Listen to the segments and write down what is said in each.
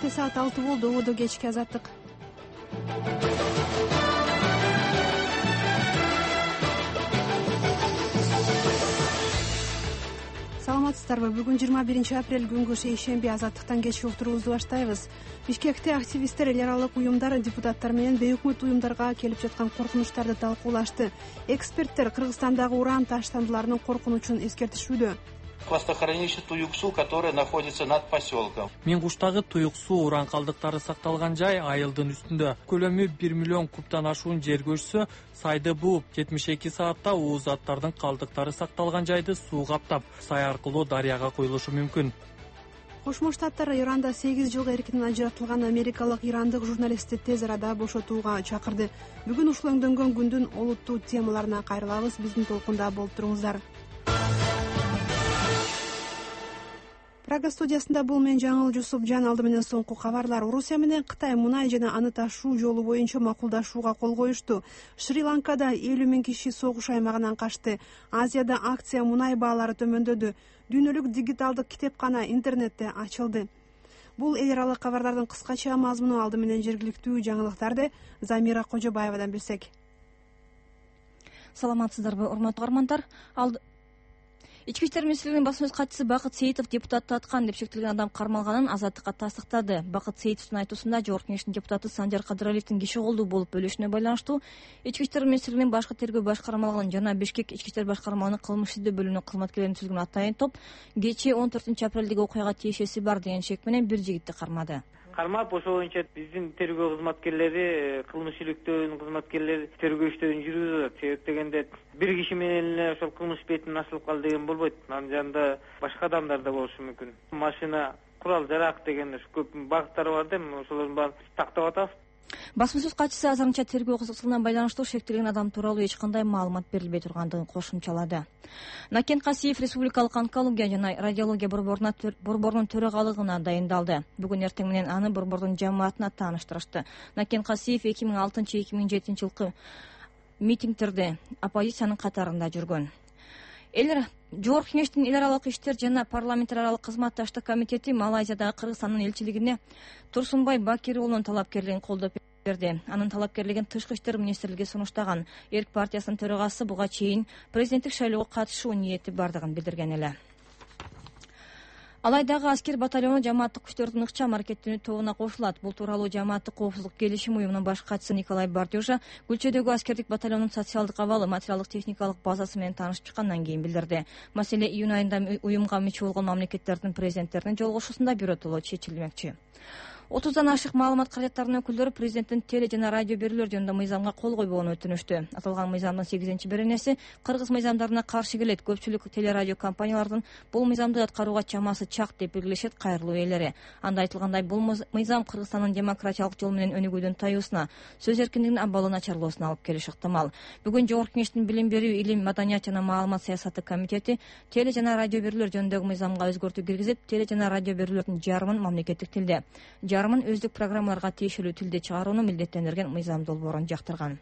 Кенттте саат 6 болду. Ободо кечки азаттык. Саламатсыздарбы? Бүгүн 21 апрель күнгү шейшемби. Азаттыктан кечки уктуруубузду баштайбыз. Бишкекте активисттер эл аралык уюмдар, депутаттар менен бейөкмөт уюмдарга келип жаткан коркунучтарды талкуулашты. Эксперттер Кыргызстандагы уран таштандыларынын коркунучун эскертишүүдө. Хвостохранилище Туюксу, которое находится над поселком. Мингуштагы Туюксу уран калдыктары сакталган жай айылдын үстүндө. Көлөмү 1 миллион кубтан ашуун жер көчсө, сайды бууп 72 саатта уу заттардын калдыктары сакталган жайды суу каптап, сай аркылуу дарыяга куюлушу мүмкүн. Кошмо Штаттар Иранда 8 жылга эркинен ажыратылган америкалык ирандык журналистти тез арада бошотууга чакырды. Бүгүн ушул өңдөнгөн күндүн олуттуу темаларына кайрылабыз. Биздин толкунда болуп туруңуздар. Прага студиясында бул мен Жаңыл Жусупжан. Алды менен соңку кабарлар. Орусия менен Кытай мунай жана аны ташуу жолу боюнча макулдашууга кол коюшту. Шри-Ланкада 50 000 киши согуш аймагынан качты. Азияда акция мунай баалары төмөндөдү. Дүйнөлүк дигиталдык китепкана интернетте ачылды. Бул эл аралык кабарлардын кыскача мазмуну. Алды менен жергиликтүү жаңылыктарды Замира Кожобаевадан билсек. Саламатсыздарбы, урматтуу угармандар? Ички иштер министрлигинин басма сөз катчысы Бакыт Сейитов депутатты аткан деп шектелген адам кармалганын Азаттыкка тастыктады. Бакыт Сейитовдун айтуусунда Жогорку Кеңештин депутаты Санжар Кадыралиевдин киши колдуу болуп бөлүшүнө байланыштуу Ички иштер министрлигинин башкы тергөө башкармалыгынын жана Бишкек ички иштер башкармалыгынын кылмыш издөө бөлүмүнүн кызматкерлерин түзүлгөн атайын топ кечээ 14 апрелдеги окуяга тиешеси бар деген шек менен бир жигитти кармады. Кармап, ошол боюнча биздин тергөө кызматкерлери, кылмыш иликтөөнүн кызматкерлери тергөө иштөрүн жүргүзүп атат. Себеп дегенде бир киши менен эле ошол кылмыш бетин ачылып калды деген болбойт. Анын жанында башка адамдар да болушу мүмкүн. Машина, курал жарак деген көп багыттары бар да, ошолордун баарын тактап атабыз. Басма сөз катчысы азырынча тергөө кызыкчылыгына байланыштуу шектелген адам тууралуу эч кандай маалымат берилбей тургандыгын кошумчалады. Накен Касиев Республикалык онкология жана радиология борборунун төрагалыгына дайындалды. Бүгүн эртең менен аны борбордун жамаатына тааныштырышты. Накен Касиев 2006-2007 жылкы митингдерде оппозициянын катарында жүргөн. Жогорку Кеңештин эл аралык иштер жана парламент аралык кызматташтык комитети Малайзиядагы Кыргызстандын элчилигине Турсунбай Бакир уулунун талапкерлигин колдоп берди. Анын талапкерлигин Тышкы иштер министрлиги сунуштаган. Эрк партиясынын төрагасы буга чейин президенттик шайлоого катышуу ниети бардыгын билдирген эле. Алайдагы аскер батальону жамааттык күчтөрдүн ыкчам аракеттенүү тобуна кошулат. Бул тууралуу жамааттык коопсуздук келишим уюмунун баш катчысы Николай Бардюжа Гүлчөдөгү аскердик батальонунун социалдык абалы, материалдык техникалык базасы менен таанышып чыккандан кийин билдирди. Маселе июнь айында уюмга мүчө болгон мамлекеттердин президенттеринин жолугушуусунда биротоло чечилмекчи. 30дан ашык маалымат каражаттарынын өкүлдөрү президенттин теле жана радио берүүлөр жөнүндө мыйзамга кол койбогонун өтүнүштү. Аталган мыйзамдын 8-беренеси кыргыз мыйзамдарына каршы келет. Көпчүлүк телерадио компаниялардын бул мыйзамды аткарууга чамасы чак деп белгилешет кайрылуу ээлери. Анда айтылгандай, бул мыйзам Кыргызстандын демократиялык жол менен өнүгүүдүн таюусуна, сөз эркиндигинин абалы начарлоосуна алып келиши ыктымал. Бүгүн Жогорку Кеңештин билим берүү, илим, маданият жана маалымат саясаты комитети теле жана радио берүүлөр жөнүндөгү мыйзамга өзгөртүү киргизип, теле жана радио берүүлөрдүн жарымын мамлекеттик тилде, жарымын өздүк программаларга тиешелүү тилде чыгарууну милдеттендирген мыйзам долбоорун жактырган.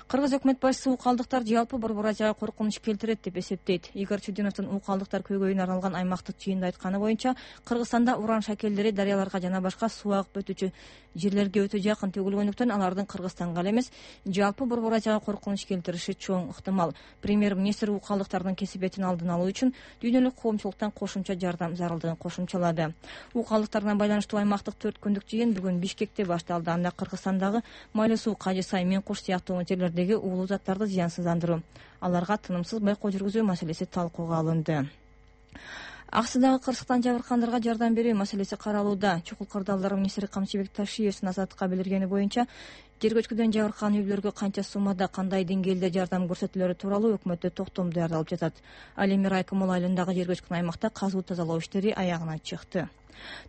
Кыргыз өкмөт башчысы укалдыктар жалпы Борбор Азияга коркунуч келтирет деп эсептейт. Игорь Чудиновдун укалдыктар көйгөйүнө арналган аймактык жыйында айтканы боюнча, Кыргызстанда уран шакелдери дарыяларга жана башка суу агып өтүүчү жерлерге өтө жакын төгүлгөндүктөн алардын Кыргызстанга эле эмес, жалпы Борбор Азияга коркунуч келтириши чоң ыктымал. Премьер-министр укалдыктардын кесипетин алдын алуу үчүн дүйнөлүк коомчулуктан кошумча жардам зарылдыгын кошумчалады. Укалдыктарына байланыштуу аймактык 4 күндүк жыйын бүгүн Бишкекте башталды. Анда Кыргызстандагы Майлы суу, Кажы сай, Мен куш сыяктуу жерлердеги уулуу заттарды зыянсыздандыруу, аларга тынымсыз байкоо жүргүзүү маселеси талкууга алынды. Аксыдагы кырсыктан жабыркандарга жардам берүү маселеси каралууда. Чукул кырдаалдар министри Камчыбек Ташиевдин Азаттыкка билдиргени боюнча, жер көчкүдөн жабыркан үйлөргө канча суммада, кандай деңгээлде жардам көрсөтүлөрү тууралуу өкмөттө токтом даярдалып жатат. Ал эми Райкомол айылындагы жер көчкүн аймакта казуу тазалоо иштери аягына чыкты.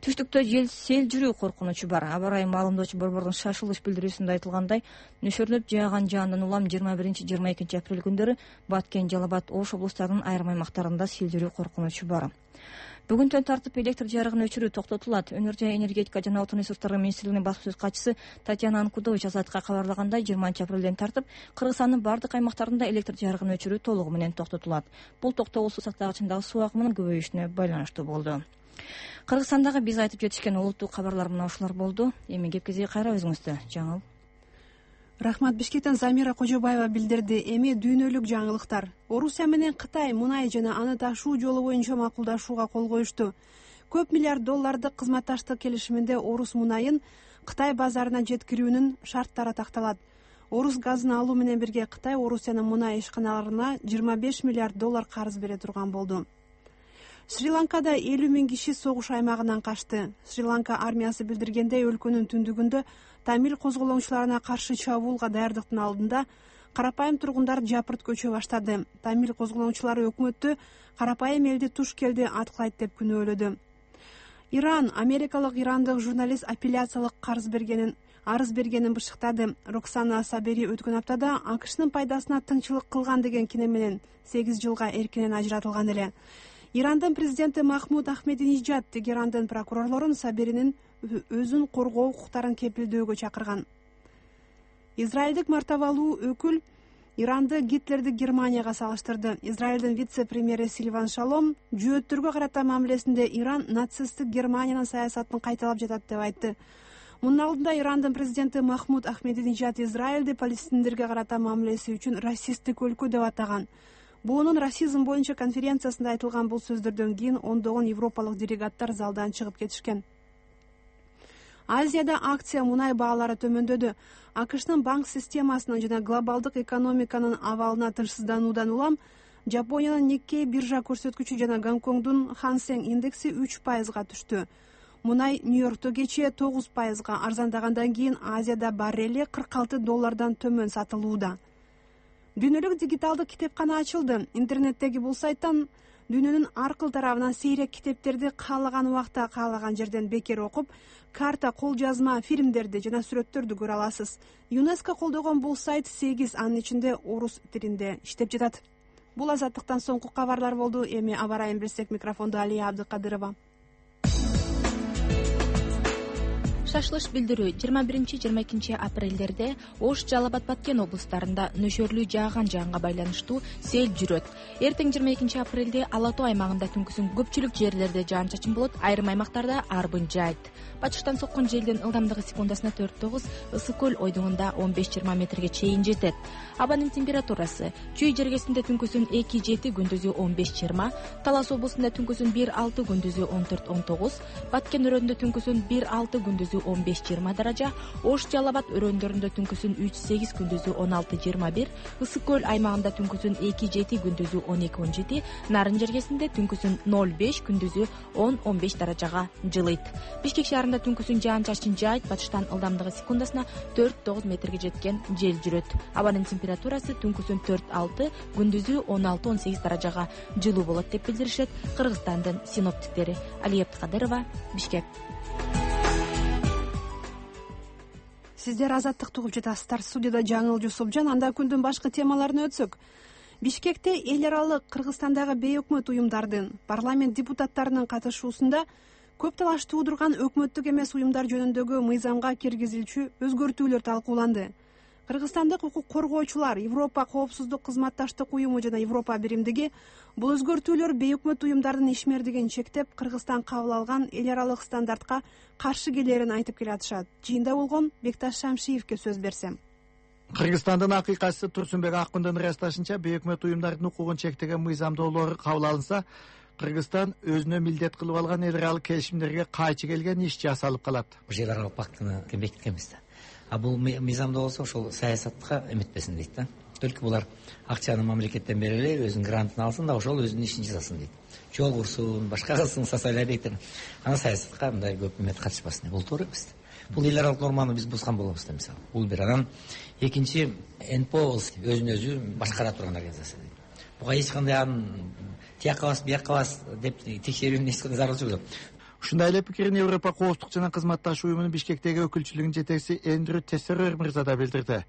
Түштүктө сел жүрүү коркунучу бар. Аба ырайы маалымдоочу борбордун шашылыш билдирүүсүндө айтылгандай, нөшөрлөп жааган жаандан улам 21-22 апрель күндөрү Баткен, Жалал Абад, Ош облустарынын айрым аймактарында сел жүрүү коркунучу бар. Бүгүнтөн тартып электр жарыгын өчүрүү токтотулат. Өнөр жай энергетика жана отун ресурстары министрлигинин басма сөз катчысы Татьяна Анкудович Азаттыкка кабарлагандай, 20 апрелден тартып Кыргызстандын бардык аймактарында электр жарыгын өчүрүү толугу менен токтотулат. Бул токтогул суу сактагычындагы суу агымынын көбөйүшүнө байланыштуу болду. Кыргызстандагы биз айтып жетишкен улуттук кабарлар мына ушулар болду. Эми кепкеге кайра өзүңүздө жаңыл. Рахмат. Бишкектен Замира Кожобаева билдирди. Эми дүйнөлүк жаңылыктар. Орусия менен Кытай мунай жана аны ташуу жолу боюнча макулдашууга кол коюшту. Көп миллиард доллардык кызматташтык келишиминде орус мунайын Кытай базарына жеткирүүнүн шарттары такталат. Орус газын алуу менен бирге Кытай Орусиянын мунай ишканаларына 25 миллиард доллар карыз бере турган болду. Шри-Ланкада 50 000 киши согуш аймагынан качты. Шри-Ланка армиясы билдиргендей, өлкөнүн түндүгүндө тамил козголоңчуларына каршы чабуулга даярдыктын алдында карапайым тургундар жапырт көчө баштады. Тамил козголоңчулары өкмөттү карапайым элди туш келди аткылайт деп күнөөлөдү. Иран америкалык ирандык журналист апелляциялык арыз бергенин бышыктады. Роксана Сабери өткөн аптада АКШнын пайдасына тыңчылык кылган деген кине менен 8 жылга эркинен ажыратылган эле. Ирандын президенти Махмуд Ахмединежад Тегерандын прокурорлорун Саберинин өзүн коргоо укуктарын кепилдөөгө чакырган. Израилдик мартабалуу өкүл Иранды Гитлерди Германияга салыштырды. Израилдин вице-премьери Сильван Шалом жөөттөргө карата мамилесинде Иран нацисттик Германиянын саясатын кайталап жатат деп айтты. Мунун алдында Ирандын президенти Махмуд Ахмединежад Израилди палестиндерге карата мамилеси үчүн расисттик өлкө деп атаган. Буунун расизм боюнча конференциясында айтылган бул сөздөрдөн кийин ондогон европалык делегаттар залдан чыгып кетишкен. Азияда акция мунай баалары төмөндөдү. АКШнын банк системасынын жана глобалдык экономиканын абалына тынчсыздануудан улам Жапониянын Никкей биржа көрсөткүчү жана Гонконгдун Хансен индекси 3%га түштү. Мунай Нью-Йоркто кечээ 9%га арзандагандан кийин Азияда баррели $46 төмөн сатылууда. Дүйнөлүк дигиталдык китепкана ачылды. Интернеттеги бул сайттан дүйнөнүн ар кыл тарабынан сейрек китептерди каалаган убакта каалаган жерден бекер окуп, карта, кол жазма, фильмдерди жана сүрөттөрдү көрө аласыз. ЮНЕСКО колдогон бул сайт 8, анын ичинде орус тилинде иштеп жатат. Бул азаттыктан соңку кабарлар болду. Эми аба райын билсек, микрофондо Алия Абдыкадырова. Шашлыш билдирүү 21-22 апрелдерде Ош, Жалал Абад, Баткен облустарында нөшөрлүү жааган жаанга байланыштуу сел жүрөт. Эртең 22 апрелде Ала Тоо аймагында түнкүсүн көпчүлүк жерлерде жаан-чачын болот, айрым аймактарда арбын жаайт. Бачыштан соккон желдин ылдамдыгы секундасына 4-9, Ысык көл ойдуңунда 15-20 метрге чейин жетет. Абанын температурасы: Чүй жергесинде түнкүсүн 2-7, күндүзү 15-20, Талас облусунда түнкүсүн 1-6, күндүзү 14-19, Баткен өрөөнүндө түнкүсүн 1-6, күндүзү 15-20 даража, Ош, Жалал Абад өрөөндөрүндө түнкүсүн 3-8, күндүзү 16-21, Ысык көл аймагында түнкүсүн 2-7, күндүзү 12-17, Нарын жергесинде түнкүсүн 0-5, күндүзү 10-15 даражага жылыйт. Бишкек шаарында түнкүсүн жаан-чачын жаайт, бачыштан ылдамдыгы секундасына 4-9 метрге жеткен жел жүрөт. Абанын температурасы түнкүсүн 4-6, күндүзү 16-18 даражага жылуу болот деп билдиришет Кыргызстандын синоптиктери. Алия Абдыкадырова, Бишкек. Сиздер азаттыкты угуп жатасыздар. Студияда Жаңыл Жусупжан. Анда күндүн башкы темаларына өтсөк. Бишкекте эл аралык Кыргызстандагы бейөкмөт уюмдардын, парламент депутаттарынын катышуусунда көп талаш туудурган өкмөттүк эмес уюмдар жөнүндөгү мыйзамга киргизилчү өзгөртүүлөр талкууланды. Кыргызстандык укук коргоочулар, Европа коопсуздук кызматташтык уюму жана Европа биримдиги бул өзгөртүүлөр бейөкмөт уюмдардын ишмердигин чектеп, Кыргызстан кабыл алган эл аралык стандартка каршы келерин айтып келатышат. Жыйында болгон Бекташ Шамшиевке сөз берсем. Кыргызстандын акыйкатчысы Турсунбек Аккундун ырасташынча, бейөкмөт уюмдардын укугун чектеген мыйзамдоолор кабыл алынса, Кыргызстан өзүнө милдет кылып алган эл аралык келишимдерге кайчы келген иш жасалып калат. Эл аралык пактыны бекиткенбиз да. А бул мыйзамда болсо ошол саясатка эметпесин дейт да. Только булар акчаны мамлекеттен бере эле, өзүнүн грантын алсын да, ошол өзүнүн ишин жасасын дейт. Жол курсун, башка кылсын, социаль объекттер. Ана саясатка мындай көп эмет катышпасын. Бул туура эмес. Бул эл аралык норманы биз бузган болобуз да, мисалы. Бул бир. Анан экинчи, НПО өзүн өзү башкара турган организация дейт. Буга эч кандай тияк кабас, бияк кабас деп текшерүүнүн эч кандай зарылчы жок. Ушундай эле пикирин Европа коопсуздук жана кызматташуу уюмунун Бишкектеги өкүлчүлүгүнүн жетекчиси Эндрю Тессерер мырза да билдирди.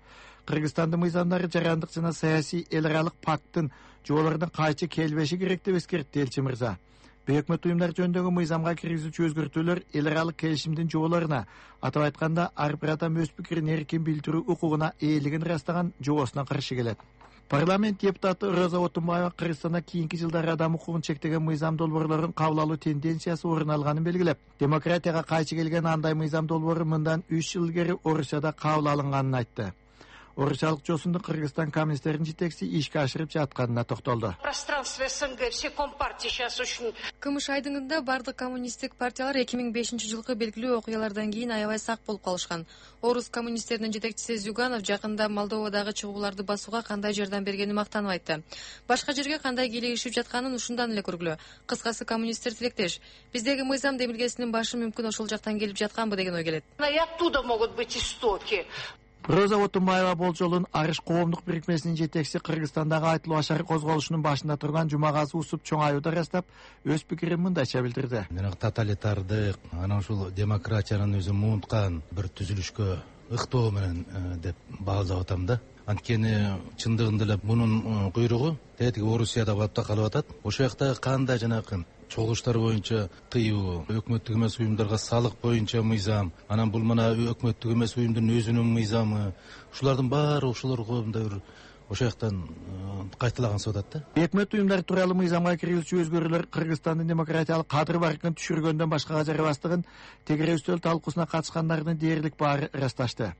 Кыргызстандын мыйзамдары жарандык жана саясий эл аралык пакттын жоболордун кайчы келбеши керек деп эскертти элчи мырза. Бейөкмөт уюмдар жөнүндөгү мыйзамга киргизүүчү өзгөртүүлөр эл аралык келишимдин жоболоруна, атап айтканда, ар бир адам өз пикирин эркин билдирүү укугуна ээлигин ырастаган жобосуна каршы келет. Парламент депутаты Роза Отунбаева Кыргызстанда кийинки жылдары адам укугун чектеген мыйзам долбоорлорун кабыл алуу тенденциясы орун алганын белгилеп, демократияга кайчы келген андай мыйзам долбоору мындан 3 жыл илгери Орусияда кабыл алынганын айтты. Орусиялык жосунду Кыргызстан коммунисттеринин жетекчиси ишке ашырып жатканына токтолду. Кымыш айдыңында бардык коммунисттик партиялар 2005 жылкы белгилүү окуялардан кийин аябай сак болуп калышкан. Орус коммунисттеринин жетекчиси Зюганов жакында Молдовадагы чыгууларды басууга кандай жардам бергенин мактанып айтты. Башка жерге кандай кийлигишип жатканын ушундан эле көргүлө. Кыскасы коммунисттер тилектеш. Биздеги мыйзам демилгесинин башы мүмкүн ошол жактан келип жатканбы деген ой келет. Роза Отунбаева болжолун Арыш коомдук бирикмесинин жетекчиси Кыргызстандагы айтылуу ашар козголушунун башында турган Жумагазы Усуп чоң аюуда ырастап, өз пикирин мындайча билдирди. Тоталитардык, анан ушул демократиянын өзү муунткан бир түзүлүшкө ыктоо менен деп баалап атам да. Анткени чындыгында эле мунун куйругу тетиги Орусияда болуп калып атат. Ошол жакта кандай жанагы чогулуштар боюнча тыюу, өкмөттүк эмес уюмдарга салык боюнча мыйзам, анан бул мына өкмөттүк эмес уюмдун өзүнүн мыйзамы, ушулардын баары ошолор коомдо бир ошол жактан кайталагансып атат да. Өкмөт уюмдары тууралуу мыйзамга киргизүүчү өзгөрүүлөр Кыргызстандын демократиялык кадыр баркын түшүргөндөн башкага жарабастыгын тегере үстөл талкуусуна катышкандардын дээрлик баары ырасташты.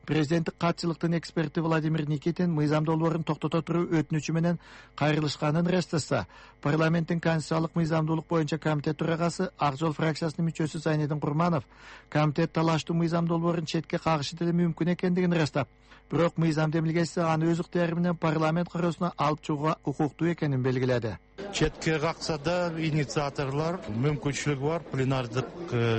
Президенттик катчылыктын эксперти Владимир Никитин мыйзам долбоорун токтото туруу өтүнүчү менен кайрылышканын ырастаса, парламенттин конституциялык мыйзамдуулук боюнча комитет төрагасы Ак Жол фракциясынын мүчөсү Зайнедин Курманов комитет талаштуу мыйзам долбоорун четке кагышы деле мүмкүн экендигин ырастап, бирок мыйзам демилгеси аны өз ыктыяры менен парламент кароосуна алып чыгууга укуктуу экенин белгиледи. Четке какса да инициаторлор мүмкүнчүлүгү бар пленардык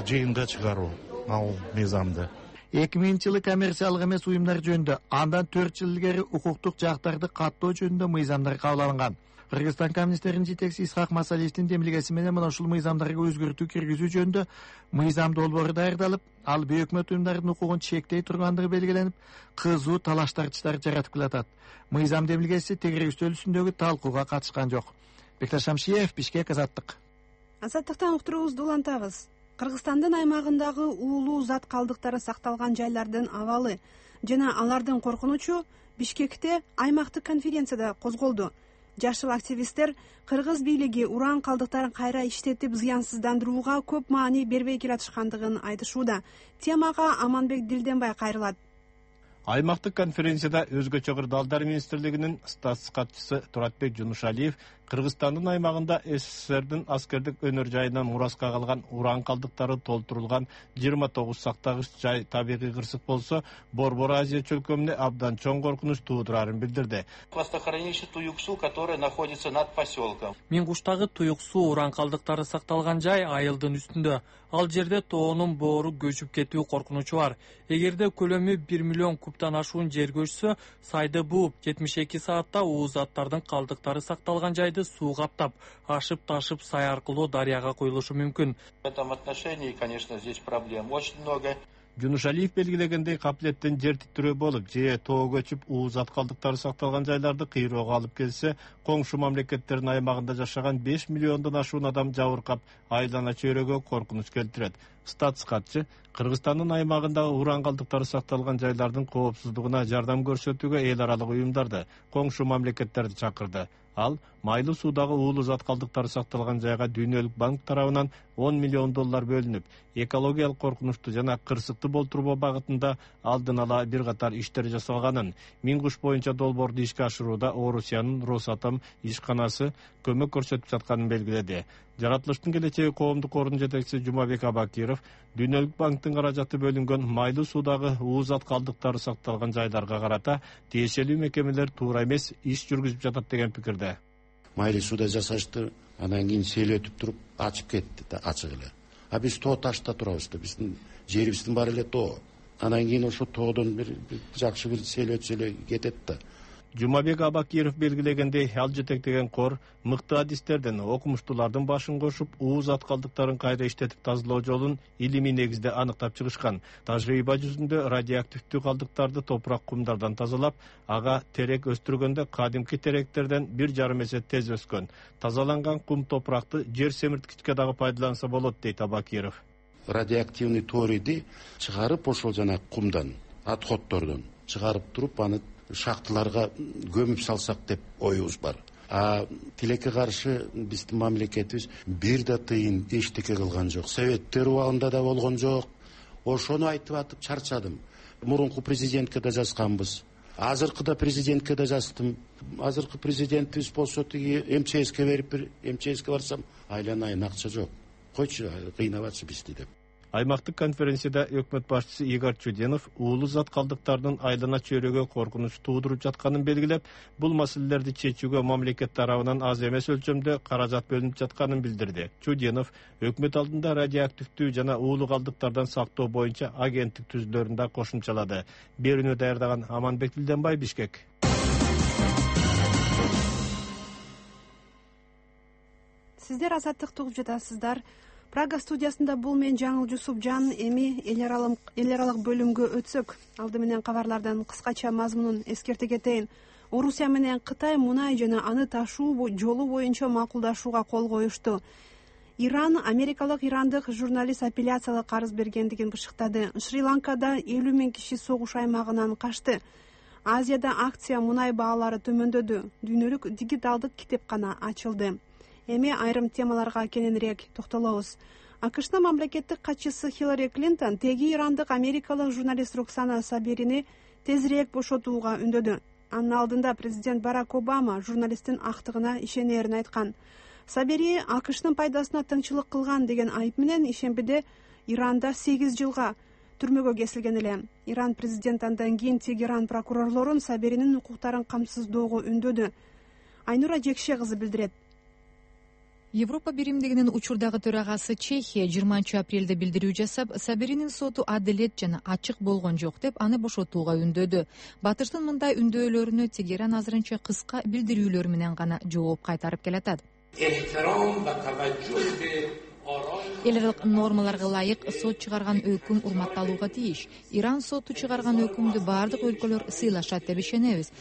жыйынга чыгаруу ал мыйзамды. 2000-жылы коммерциялык эмес уюмдар жөнүндө, андан 4 жыл илгери укуктук жактарды каттоо жөнүндө мыйзамдар кабыл алынган. Кыргызстан коммунисттеринин жетекчиси Исхак Масалиевдин демилгеси менен мына ушул мыйзамдарга өзгөртүү киргизүү жөнүндө мыйзам долбоору даярдалып, ал бейөкмөт уюмдардын укугун чектей тургандыгы белгиленип, кызуу талаш-тартыштар жаратып келатат. Мыйзам демилгеси тегере үстөл үстүндөгү талкууга катышкан жок. Бекташ Шамшиев, Бишкек, Азаттык. Азаттыктан уктуруубузду улантабыз. Кыргызстандын аймагындагы уулуу зат калдыктары сакталган жайлардын абалы жана алардын коркунучу Бишкекте аймактык конференцияда козголду. Жашыл активисттер кыргыз бийлиги уран калдыктарын кайра иштетип зыянсыздандырууга көп маани бербей келатышкандыгын айтышууда. Темага Аманбек Дилденбай кайрылат. Аймактык конференцияда өзгөчө кырдаалдар министрлигинин статс катчысы Туратбек Жунушалиев Кыргызстандын аймагында СССРдин аскердик өнөр жайынан мураска калган уран калдыктары толтурулган 29 сактагыч жай табигый кырсык болсо, Борбор Азия чөлкөмүнө абдан чоң коркунуч туудурарын билдирди. Хвостохранилище Туюксу, которое находится над поселком. Мингуштагы Туюксу уран калдыктары сакталган жай айылдын үстүндө. Ал жерде тоонун боору көчүп кетүү коркунучу бар. Эгерде көлөмү 1 миллион кубтан ашуун жер көчсө, сайды бууп 72 саатта уу заттардын калдыктары сакталган жайды суу каптап, ашып-ташып сай аркылуу дарыяга куюлушу мүмкүн. В этом отношении, конечно, здесь проблем очень много. Жунушалиев белгилегендей каптелеттен жер титирөө болуп, же тоо көчүп уу зат калдыктары сакталган жайларды кыйроого алып келсе, коңшу мамлекеттердин аймагында жашаган 5 миллиондон ашуун адам жабыркап, айлана чөйрөгө коркунуч келтирет. Статс катчы Кыргызстандын аймагындагы уран калдыктары сакталган жайлардын коопсуздугуна жардам көрсөтүүгө эл аралык уюмдарды, коңшу мамлекеттерди чакырды. Ал майлуу суудагы уулуу зат калдыктары сакталган жайга Дүйнөлүк банк тарабынан 10 миллион доллар бөлүнүп, экологиялык коркунучту жана кырсыкты болтурбоо багытында алдын ала бир катар иштер жасалганын, Мингуш боюнча долбоорду ишке ашырууда Орусиянын Росатом ишканасы көмөк көрсөтүп жатканын белгиледи. Жаратылыштын келечеги коомдук кордун жетекчиси Жумабек Абакиров Дүйнөлүк банктын каражаты бөлүнгөн майлуу суудагы уу зат калдыктары сакталган жайларга карата тиешелүү мекемелер туура эмес иш жүргүзүп жатат деген пикирде. Майлуу сууда жасашты, анан кийин сел өтүп туруп ачып кетти да, ачык эле. А биз тоо ташта турабыз да, биздин жерибиздин баары эле тоо. Анан кийин ошо тоодон бир жакшы бир сел өтсө эле кетет да. Жумабек Абакиров белгилегендей, ал жетектеген кор мыкты адистерден, окумуштуулардын башын кошуп, уу зат калдыктарын кайра иштетип тазалоо жолун илимий негизде аныктап чыгышкан. Тажрыйба жүзүндө радиоактивдүү калдыктарды топурак кумдардан тазалап, ага терек өстүргөндө кадимки теректерден 1,5 эсе тез өскөн. Тазаланган кум топуракты жер семирткичке дагы пайдаланса болот, дейт Абакиров. Радиоактивный ториди чыгарып ошол жана кумдан, отходдордон чыгарып туруп, аны шахталарга көмүп салсак деп оюбуз бар. Тилекке каршы биздин мамлекетибиз бир да тыйын эчтеке кылган жок. Советтер убагында да болгон жок. Ошону айтып атып чарчадым. Мурунку президентке да жазганбыз. Азыркы да президентке да жаздым. Азыркы президентибиз болсо тиги МЧСке берип, МЧСке барсам айланайын акча жок. Койчу, кыйнабачы бизди деп. Аймактык конференцияда өкмөт башчысы Игорь Чуденов уулуу зат калдыктардын айлана чөйрөгө коркунуч туудуруп жатканын белгилеп, бул маселелерди чечүүгө мамлекет тарабынан аз эмес өлчөмдө каражат бөлүнүп жатканын билдирди. Чуденов өкмөт алдында радиоактивдүү жана уулуу калдыктардан сактоо боюнча агенттик түзүлөрүн да кошумчалады. Берүүнү даярдаган Аманбек Дилденбай, Бишкек. Сиздер азаттыкты угуп жатасыздар. Прага студиясында бул мен Жаңыл Жусупжан. Эми эл аралык бөлүмгө өтсөк, алды менен кабарлардын кыскача мазмунун эскерте кетейин. Орусия менен Кытай мунай жана аны ташуу жолу боюнча макулдашууга кол коюшту. Иран америкалык ирандык журналист апелляциялык арыз бергендигин бышыктады. Шри-Ланкада 50 000 киши согуш аймагынан качты. Азияда акция мунай баалары төмөндөдү. Дүйнөлүк дигиталдык китепкана ачылды. Эми айрым темаларга кененирээк токтолобуз. АКШнын мамлекеттик катчысы Хиллари Клинтон теги ирандык америкалык журналист Роксана Саберини тезирээк бошотууга үндөдү. Анын алдында президент Барак Обама журналисттин актыгына ишенерин айткан. Сабери АКШнын пайдасына тыңчылык кылган деген айып менен ишембиде Иранда 8 жылга түрмөгө кесилген эле. Иран президенти андан кийин Тегеран прокурорлорун Саберинин укуктарын камсыздоого үндөдү. Айнура Жекше кызы билдирет. Европа биримдигинин учурдагы төрагасы Чехия 20 апрелде билдирүү жасап, Саберинин соту адилет жана ачык болгон жок деп аны бошотууга үндөдү. Батыштын мындай үндөөлөрүнө Тегеран азырынча кыска билдирүүлөр менен гана жооп кайтарып келатат. Эл аралык нормаларга ылайык сот чыгарган өкүм урматталууга тийиш. Иран соту чыгарган өкүмдү бардык өлкөлөр сыйлашат деп ишенебиз,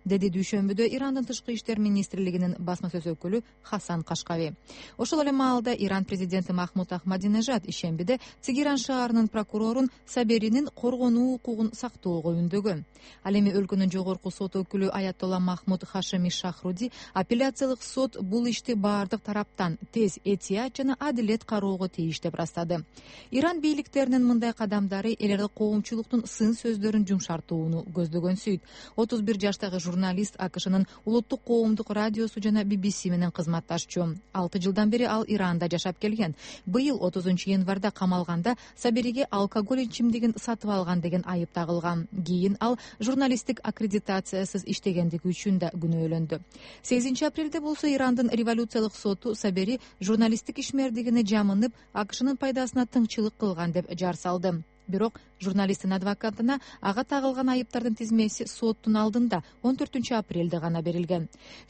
деди дүйшөмбүдө Ирандын тышкы иштер министрлигинин басма сөз өкүлү Хасан Кашкави. Ошол эле маалда Иран президенти Махмуд Ахмадинежад ишембиде Тегеран шаарынын прокурорун Саберинин коргонуу укугун сактоого үндөгөн. Ал эми өлкөнүн жогорку сот өкүлү Аятолла Махмуд Хашеми Шахруди апелляциялык сот бул ишти бардык тараптан тез, этият жана адилет кароого тийиш деп ырастады. Иран бийликтеринин мындай кадамдары эл аралык коомчулуктун сын сөздөрүн жумшартууну көздөгөнсүйт. 31 жаштагы журналист АКШнын улуттук коомдук радиосу жана BBC менен кызматташчу. 6 жылдан бери ал Иранда жашап келген. Быйыл 30 январда камалганда Сабериге алкоголь ичимдигин сатып алган деген айып тагылган. Кийин ал журналисттик аккредитациясыз иштегендиги үчүн да күнөөлөндү. 8 апрелде болсо Ирандын революциялык соту Сабери журналисттик ишмердигине жамынып, АКШнын пайдасына тыңчылык кылган деп жар салды. Бирок журналисттин адвокатына ага тагылган айыптардын тизмеси соттун алдында 14 апрелде гана берилген.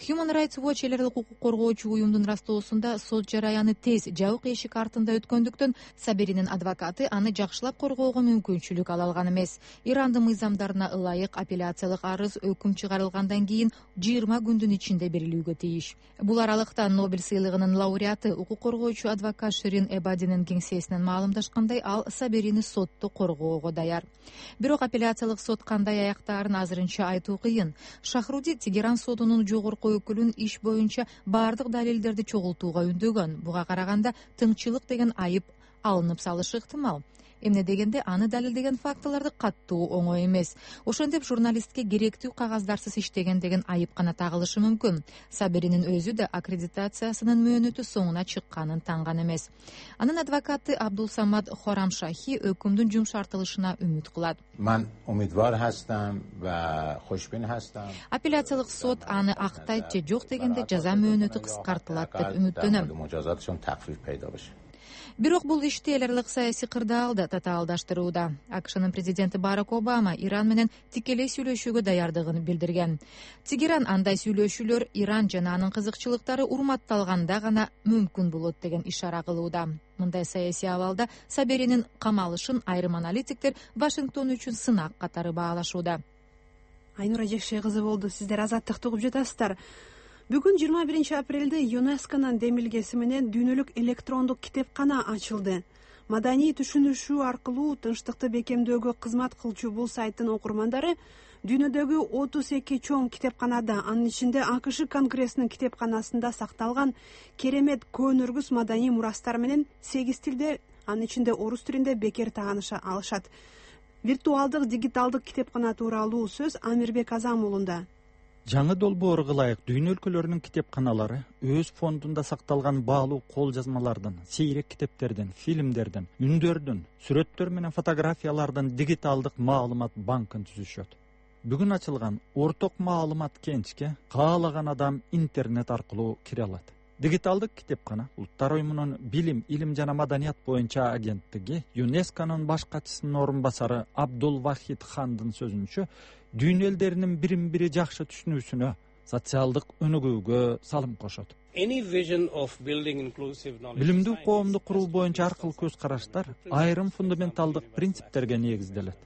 Human Rights Watch эл аралык укук коргоочу уюмдун ырастоосунда сот жараяны тез, жабык эшик артында өткөндүктөн Саберинин адвокаты аны жакшылап коргоого мүмкүнчүлүк ала алган эмес. Ирандын мыйзамдарына ылайык апелляциялык арыз өкүм чыгарылгандан кийин 20 күндүн ичинде берилүүгө тийиш. Бул аралыкта Нобель сыйлыгынын лауреаты укук коргоочу адвокат Ширин Эбадинин кеңсесинен маалымдашкандай, ал Саберини сотто коргоого даяр. Бирок апелляциялык сот кандай аяктаарын азырынча айтуу кыйын. Шахруди Тегеран сотунун жогорку өкүлүн иш боюнча бардык далилдерди чогултууга үндөгөн. Буга караганда тыңчылык деген айып алынып салышы ыктымал. Эмне дегенде аны далилдеген фактыларды каттуу оңой эмес. Ошентип журналистке керектүү кагаздарсыз иштеген деген айып гана тагылышы мүмкүн. Саберинин өзү да аккредитациясынын мөөнөтү соңуна чыкканын танган эмес. Анын адвокаты Абдулсамад Хорамшахи өкүмдүн жумшартылышына үмүт кылат. Мен умидвар хастам ва хушбин хастам. Апелляциялык сот аны актайт же жок дегенде жаза мөөнөтү кыскартылат деп үмүттөнөм. Бирок бул ишти эл аралык саясий кырдаалда татаалдаштырууда. АКШнын президенти Барак Обама Иран менен тикелей сүйлөшүүгө даярдыгын билдирген. Тегеран андай сүйлөшүүлөр Иран жана анын кызыкчылыктары урматталганда гана мүмкүн болот деген ишара кылууда. Мындай саясий абалда Саберинин камалышын айрым аналитиктер Вашингтон үчүн сынак катары баалашууда. Айнура Жекше кызы болду. Сиздер азаттыкты угуп жатасыздар. Бүгүн 21 апрелде ЮНЕСКОнун демилгеси менен дүйнөлүк электрондук китепкана ачылды. Маданий түшүнүшүү аркылуу тынчтыкты бекемдөөгө кызмат кылчу бул сайттын окурмандары дүйнөдөгү 32 чоң китепканада, анын ичинде АКШ Конгрессинин китепканасында сакталган керемет көөнөргүс маданий мурастар менен 8 тилде, анын ичинде орус тилинде бекер тааныша алышат. Виртуалдык дигиталдык китепкана тууралуу сөз Амирбек Азам уулунда. Жаңы долбоорго ылайык дүйнө өлкөлөрүнүн китепканалары өз фондунда сакталган баалуу кол жазмалардан, сейрек китептерден, фильмдерден, үндөрдөн, сүрөттөр менен фотографиялардан дигиталдык маалымат банкын түзүшөт. Бүгүн ачылган орток маалымат кенчке каалаган адам интернет аркылуу кире алат. Дигиталдык китепкана Улуттар уюмунун билим, илим жана маданият боюнча агенттиги ЮНЕСКОнун баш катчысынын орун басары Абдул Вахид Хандын сөзүнчө, дүйнө элдеринин бирин-бири жакшы түшүнүүсүнө, социалдык өнүгүүгө салым кошот. Билимдүү коомду куруу боюнча аркыл көз караштар айрым фундаменталдык принциптерге негизделет.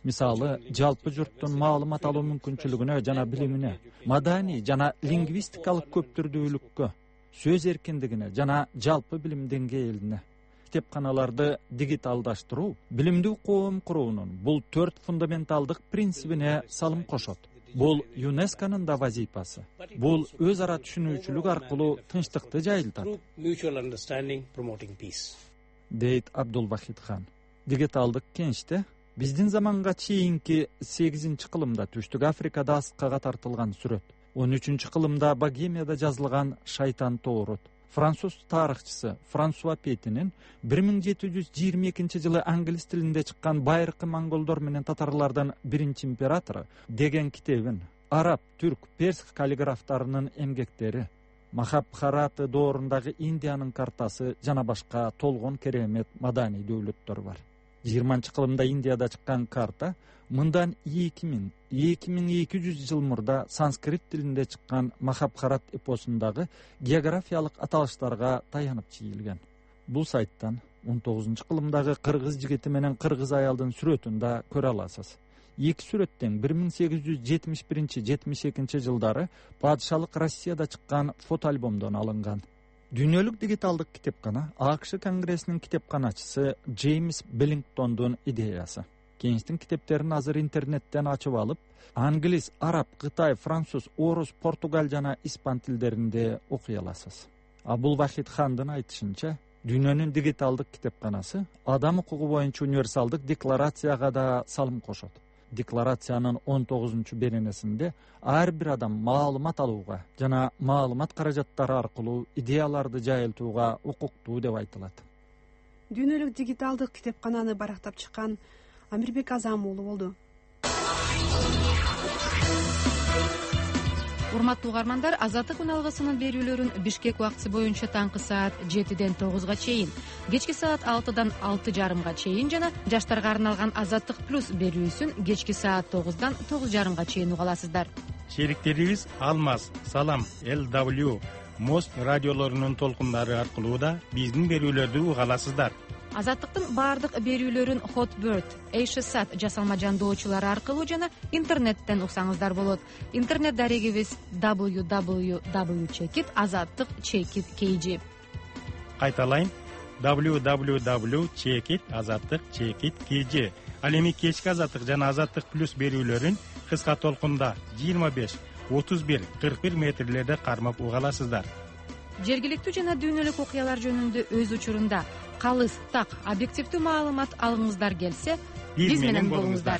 Мисалы, жалпы журттун маалымат алуу мүмкүнчүлүгүнө жана билимине, маданий жана лингвистикалык көптүрдүүлүккө, сөз эркиндигине жана жалпы билим деңгээлине. Китепканаларды дигиталдаштыруу билимдүү коом куруунун бул 4 фундаменталдык принцибине салым кошот. Бул ЮНЕСКОнун да вазифасы. Бул өз ара түшүнүүчүлүк аркылуу тынчтыкты жайылтат, дейт Абдул Вахид Хан. Дигиталдык кенчте биздин заманга чейинки 8-кылымда Түштүк Африкада аскага тартылган сүрөт, 13-кылымда Богемияда жазылган Шайтан тоорот, француз тарыхчысы Франсуа Петинин 1722-жылы англис тилинде чыккан Байыркы монголдор менен татарлардын биринчи императору деген китебин, араб, түрк, перс каллиграфтарынын эмгектери, Махабхараты доорундагы Индиянын картасы жана башка толгон керемет маданий дөөлөттөр бар. 20-кылымда Индияда чыккан карта мындан 2200 жыл мурда санскрит тилинде чыккан Махабхарат эпосундагы географиялык аталыштарга таянып чийилген. Бул сайттан 19-кылымдагы кыргыз жигити менен кыргыз аялдын сүрөтүн да көрө аласыз. Эки сүрөттөн 1871-72 жылдары падышалык Россияда чыккан фото альбомдон алынган. Дүйнөлүк дигиталдык китепкана АКШ Конгрессинин китепканачысы Джеймс Беллингтондун идеясы. Кенчтин китептерин азыр интернеттен ачып алып, англис, араб, кытай, француз, орус, португал жана испан тилдеринде окуй аласыз. Абдул Вахид Хандын айтышынча, дүйнөнүн дигиталдык китепканасы адам укугу боюнча универсалдык декларацияга да салым кошот. Декларациянын 19-беренесинде ар бир адам маалымат алууга жана маалымат каражаттары аркылуу идеяларды жайылтууга укуктуу деп айтылат. Дүйнөлүк дигиталдык китепкананы барактап чыккан Амирбек Азам уулу болду. Урматтуу угармандар, Азаттык күн алгысынын берүүлөрүн Бишкек убактысы боюнча таңкы саат 7-ден 9-га чейин, кечки саат 6-дан 6:30-га чейин жана жаштарга арналган Азаттык плюс берүүсүн кечки саат 9-дан 9:30-га чейин уга аласыздар. Шериктерибиз Алмаз, Салам, LW, Мост радиолорунун толкундары аркылуу да биздин берүүлөрдү уга аласыздар. Азаттыктын баардык берүүлөрүн Hotbird, Эйшсат жасалма жандоочулары аркылуу жана интернеттен уксаңыздар болот. Интернет дарегибиз www.azattik.kg. Кайталайын, www.azattik.kg. Ал эми кечки Азаттык жана Азаттык плюс берүүлөрүн кыска толкунда 25, 31, 41 метрлерде кармап уга аласыздар. Жергиликтүү жана дүйнөлүк окуялар жөнүндө өз учурунда калыс, так, объективдүү маалымат алгыңыздар келсе, биз менен болуңуздар.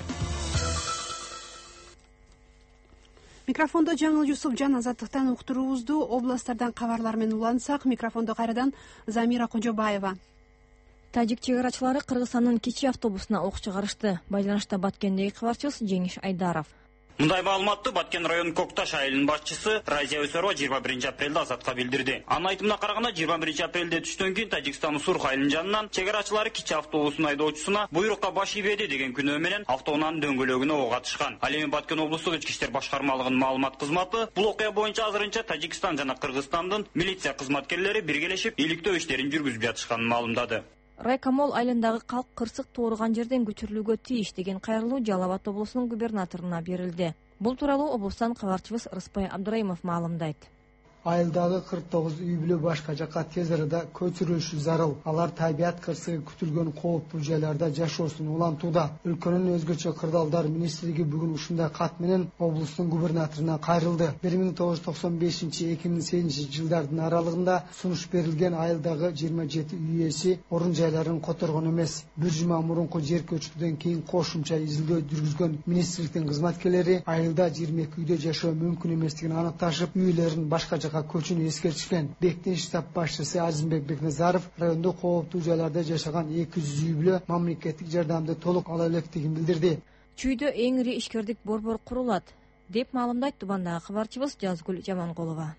Микрофондо Жаңыл Юсупжан. Азаттыктан уктуруубузду областтардан кабарлар менен улантсак, микрофондо кайрадан Замира Кожобаева. Тажик чек арачылары Кыргызстандын кичи автобусуна ок чыгарышты. Байланышта Баткендеги кабарчыбыз Жеңиш Айдаров. Мындай маалыматты Баткен районунун Кокташ айылынын башчысы Разия Өсөрова 21-апрелде Азатка билдирди. Анын айтымына караганда 21-апрелде түштөн кийин Тажикстандын Сурх айылынын жанынан чек арачылары кичи автобустун айдоочусуна буйрукка баш ийбеди деген күнөө менен автоунаанын дөңгөлөгүнө ок атышкан. Ал эми Баткен облустук ички иштер башкармалыгынын маалымат кызматы бул окуя боюнча азырынча Тажикстан жана Кыргызстандын милиция кызматкерлери биргелешип иликтөө иштерин жүргүзүп жатышканын маалымдады. Райкомол айылындагы калк кырсык тууруган жерден көчүрүлүүгө тийиш деген кайрылуу Жалал Абад облусунун губернаторуна берилди. Бул тууралуу облустан кабарчыбыз Рыспай Абдыраимов маалымдайт. айылдагы 49 үй бүлө башка жакка тез арада көчүрүлүшү зарыл. Алар табият кырсыгы күтүлгөн кооптуу жайларда жашоосун улантууда. Өлкөнүн өзгөчө кырдаалдар министрлиги бүгүн ушундай кат менен облустун губернаторуна кайрылды. 1995-2008 жылдардын аралыгында сунуш берилген айылдагы 27 үй ээси орун жайларын которгон эмес. Бир жума мурунку жер көчкүдөн кийин кошумча изилдөө жүргүзгөн министрликтин кызматкерлери айылда 22 үйдө жашоо мүмкүн эместигин аныкташып, үйлөрүн башка жака көчүүнү эскертишкен. Бектин штаб башчысы Азимбек Бекназаров райондо кооптуу жайларда жашаган 200 үй бүлө мамлекеттик жардамды толук ала электигин билдирди. Чүйдө эң ири ишкердик борбор курулат деп маалымдайт Тубандагы кабарчыбыз Жазгүл Жаманкулова.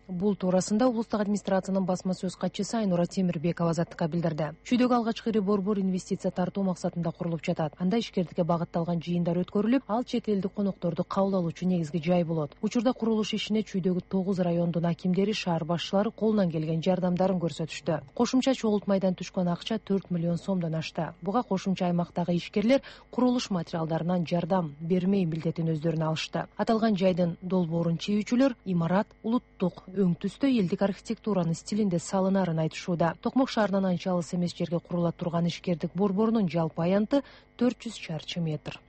Бул туурасында облустук администрациянын басма сөз катчысы Айнура Темирбекова Азаттыкка билдирди. Чүйдөгү алгачкы ири борбор инвестиция тартуу максатында курулуп жатат. Анда ишкердикке багытталган жыйындар өткөрүлүп, ал чет элдик конокторду кабыл алуучу негизги жай болот. Учурда курулуш ишине чүйдөгү 9 райондун акимдери, шаар башчылары колунан келген жардамдарын көрсөтүштү. Кошумча чогултмайдан түшкөн акча 4 миллион сомдон ашты. Буга кошумча аймактагы ишкерлер курулуш материалдарынан жардам бермей милдетин өздөрүнө алышты. Аталган жайдын долбоорун чийүүчүлөр имарат улуттук өң түстө элдик архитектуранын стилинде салынарын айтышууда. Токмок шаарынан анча алыс эмес жерге курула турган ишкердик борборунун жалпы аянты 400 чарчы метр.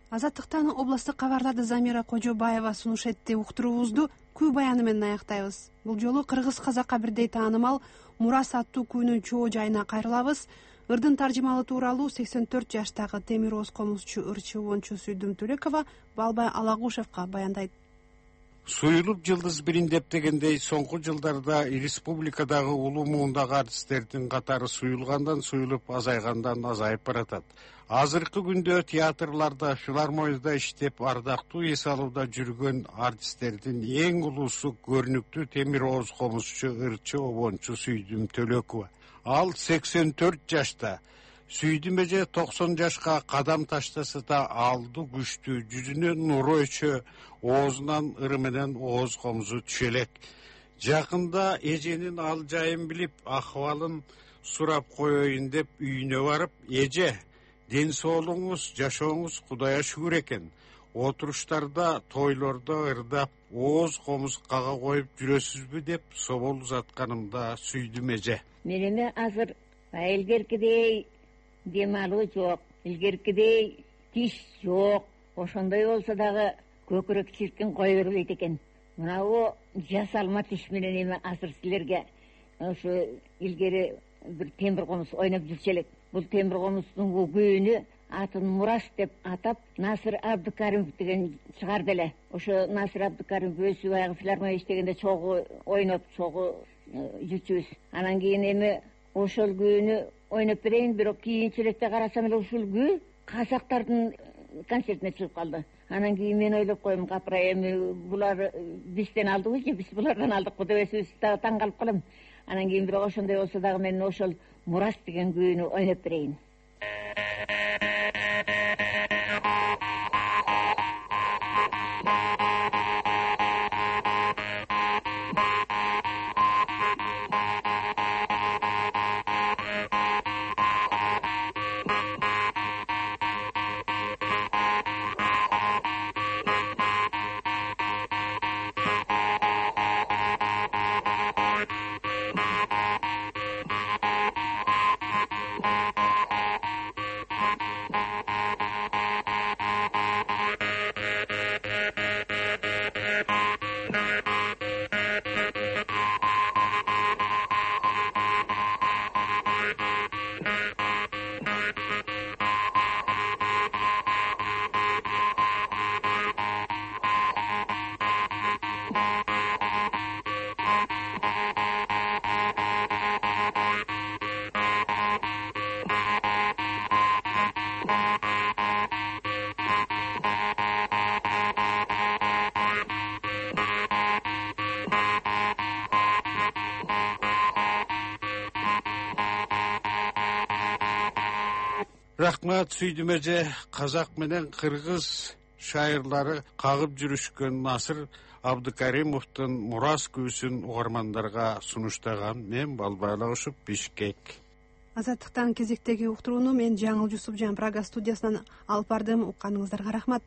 Азаттыктан областтык кабарларды Замира Кожобаева сунуш этти. Уктуруубузду күй баяны менен аяктайбыз. Бул жолу кыргыз-казакка бирдей таанымал Мурас аттуу күүнүн чоо жайына кайрылабыз. Ырдын таржымалы тууралуу 84 жаштагы темир ооз комузчу ырчыбончу Сүйдүм Төлекова Балбай Алагушевка баяндайт. Суюлуп жылдыз бирин деп дегендей, соңку жылдарда республикадагы улуу муундагы артисттердин катары суюлгандан суюлуп, азайгандан азайып баратат. Азыркы күндө театрларда, филармонияда иштеп, ардактуу эс алууда жүргөн артисттердин эң улуусу көрүнүктүү темир ооз комузчу ырчы обончу Сүйдүм Төлекова. Ал 84 жашта. Сүйдүм эже 90 жашка кадам таштаса да алды күчтүү, жүзүнө нуру өчө, оозунан ыры менен ооз комузу түшө элек. Жакында эженин ал жайын билип, акыбалын сурап коеюн деп үйүнө барып, эже, ден соолугуңуз, жашооңуз Кудайга шүгүр экен. Отуруштарда, тойлордо ырдап, ооз комуз кага коюп жүрөсүзбү деп собол узатканымда Сүйдүм эже. Менеме азыр илгеркидей дем алуу жок, илгеркидей тиш жок. Ошондой болсо дагы көкүрөк чиркин кое бербейт экен. Мынабу жасалма тиш менен эми азыр силерге ошо илгери бир темир комуз ойноп жүрчү элек. Бул темир комуздун күйүнү атын Мурас деп атап Насыр Абдыкаримов деген чыгарды эле. Ошо Насыр Абдыкаримов өзү баягы филармония иштегенде чогуу ойноп, чогуу жүрчүбүз. Анан кийин эми ошол күйүнү ойноп берейин, бирок кийинчерээкте карасам эле ушул күү казактардын концертине чыгып калды. Анан кийин мен ойлоп коем, капырай, эми булар бизден алдыбы же биз булардан алдыкпы деп өзүбүз дагы таң калып калам. Анан кийин бирок ошондой болсо дагы мен ошол Мурас деген күүнү ойноп берейин. Рахмат Сүйдүм эже. Казак менен кыргыз шайырлары кагып жүрүшкөн Насыр Абдыкаримовдун Мурас күүсүн угармандарга сунуштаган мен Балбай Алагушев, Бишкек. Азаттыктан кезектеги уктурууну мен Жаңыл Жусупжан Прага студиясынан алып бардым. Укканыңыздарга рахмат.